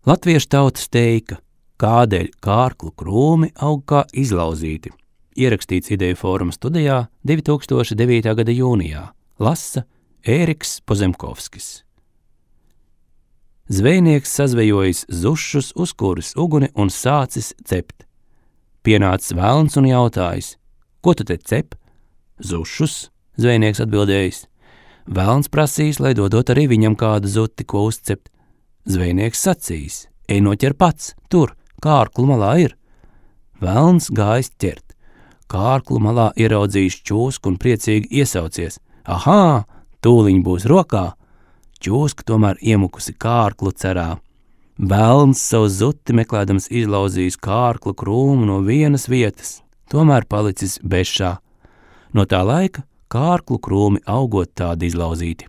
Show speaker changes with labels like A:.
A: Latviešu tautas teika, kādēļ kārklu krūmi aug kā izlauzīti. Ierakstīts Ideju fóruma studijā 2009. gada jūnijā. Lasa Ēriks Pozemkovskis. Zvejnieks sazvejojis zušus, uzkūris uguni un sācis cept. Pienācis velns un jautājis: ko tu te cep? Zušus, zvejnieks atbildējis. Velns prasīs, lai dodot arī viņam kādu zuti, ko uzcept. Zvejnieks sacīs: ej noķer pats, tur, kārklu malā ir. Velns gājis ķert. Kārklu malā ieraudzījis čūsku un priecīgi iesaucies: ahā, tūliņ būs rokā. Čūska tomēr iemukusi kārklu cerā. Velns savu zuti meklēdams izlauzījis kārklu krūmu no vienas vietas, tomēr palicis bešā. No tā laika kārklu krūmi augot tādi izlauzīti.